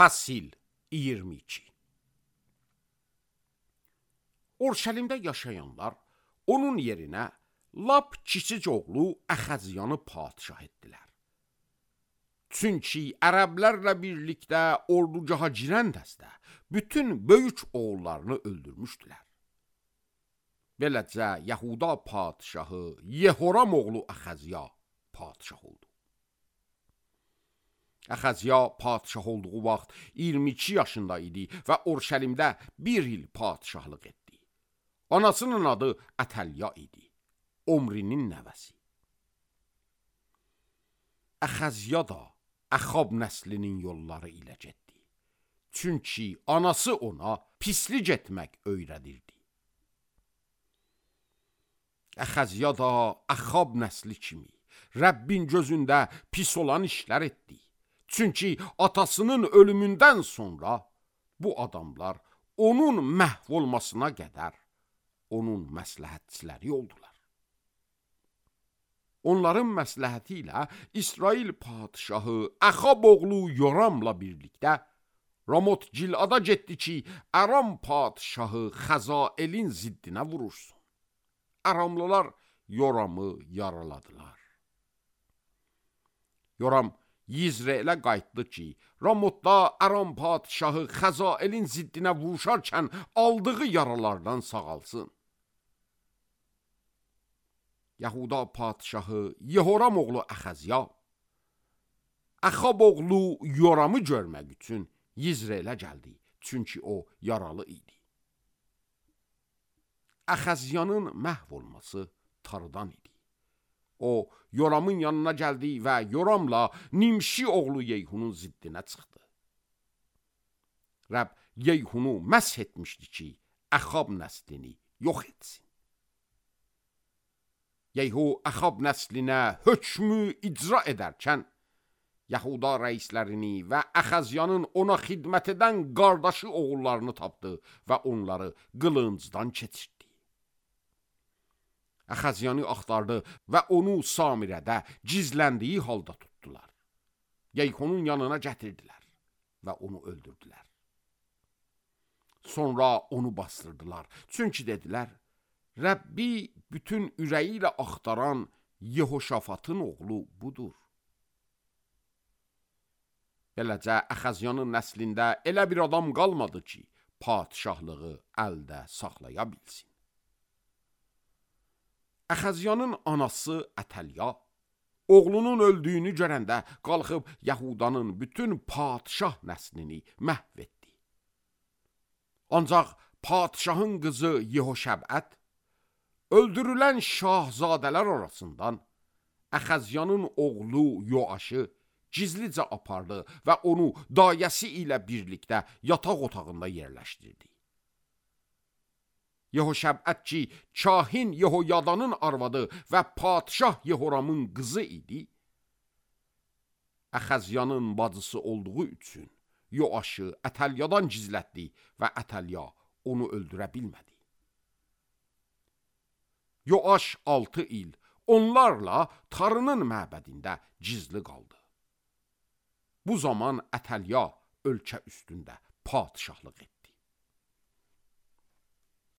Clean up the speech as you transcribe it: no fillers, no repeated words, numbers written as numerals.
Fasil 22. Urşəlimdə yaşayanlar onun yerinə lap kiçik oğlu Əxəziyanı padişah etdilər. Çünki ərəblərlə birlikdə ordugaha girən dəstə bütün böyük oğullarını öldürmüşdülər. Beləcə Yahuda padişahı Yehoram oğlu Əxəziya padişah oldu. Əxəziya padişah olduğu vaxt 22 yaşında idi və Urşəlimdə bir il padişahlıq etdi. Anasının adı Ətəlya idi, Omrinin nəvəsi. Əxəziya da Əxab nəslinin yolları ilə getdi. Çünki anası ona pislik etmək öyrədirdi. Əxəziya da Əxab nəsli kimi Rəbbin gözündə pis olan işlər etdi. Çünki atasının ölümündən sonra bu adamlar onun məhv olmasına qədər onun məsləhətçiləri oldular. Onların məsləhəti ilə İsrail padişahı Əxab oğlu Yoramla birlikdə Ramot Gilada getdi ki, Aram padişahı Xəzaelin ziddinə vurursun. Aramlılar Yoramı yaraladılar. Yoram Yizre'lə qayıtdı ki, Ramotda Aram padişahı Xəzaelin ziddinə vuruşarkən aldığı yaralardan sağalsın. Yahuda padişahı Yehoram oğlu Əxəziya, Əxab oğlu Yoramı görmək üçün Yizre'lə gəldi, çünki o yaralı idi. Əxəziyanın məhv olması tarıdan idi. O, Yoramın yanına gəldi və Yoramla Nimşi oğlu Yeyhunun ziddinə çıxdı. Rəbb Yeyhunu məsh etmişdi ki, Əxab nəslini yox etsin. Yeyhu Əxab nəslinə hökmü icra edərkən, Yahuda rəislərini və Əxəziyanın ona xidmət edən qardaşı oğullarını tapdı və onları qılıncdan keçirdi. Əxəziyanı axtardı və onu Samirədə gizləndiyi halda tutdular. Yeyhunun yanına gətirdilər və onu öldürdülər. Sonra onu bastırdılar. Çünki dedilər, Rəbbi bütün ürəyi ilə axtaran Yehoşafatın oğlu budur. Beləcə Əxəziyanın nəslində elə bir adam qalmadı ki, padişahlığı əldə saxlaya bilsin. Əxəziyanın anası Ətəlya, oğlunun öldüyünü görəndə qalxıb Yahudanın bütün padişah nəslini məhv etdi. Ancaq padişahın qızı Yehoşəbət, öldürülən şahzadələr arasından Əxəziyanın oğlu Yoaşı gizlicə apardı və onu dayəsi ilə birlikdə yataq otağında yerləşdirdi. Yehoşəbət ki, kahin Yehoyadanın arvadı və padişah Yehoramın qızı idi, Əxəziyanın bacısı olduğu üçün Yoaşı Ətəlyadan gizlətdi və Ətəlya onu öldürə bilmədi. Yoaş 6 il onlarla Tarının məbədində gizli qaldı. Bu zaman Ətəlya ölkə üstündə padişahlıq etdi.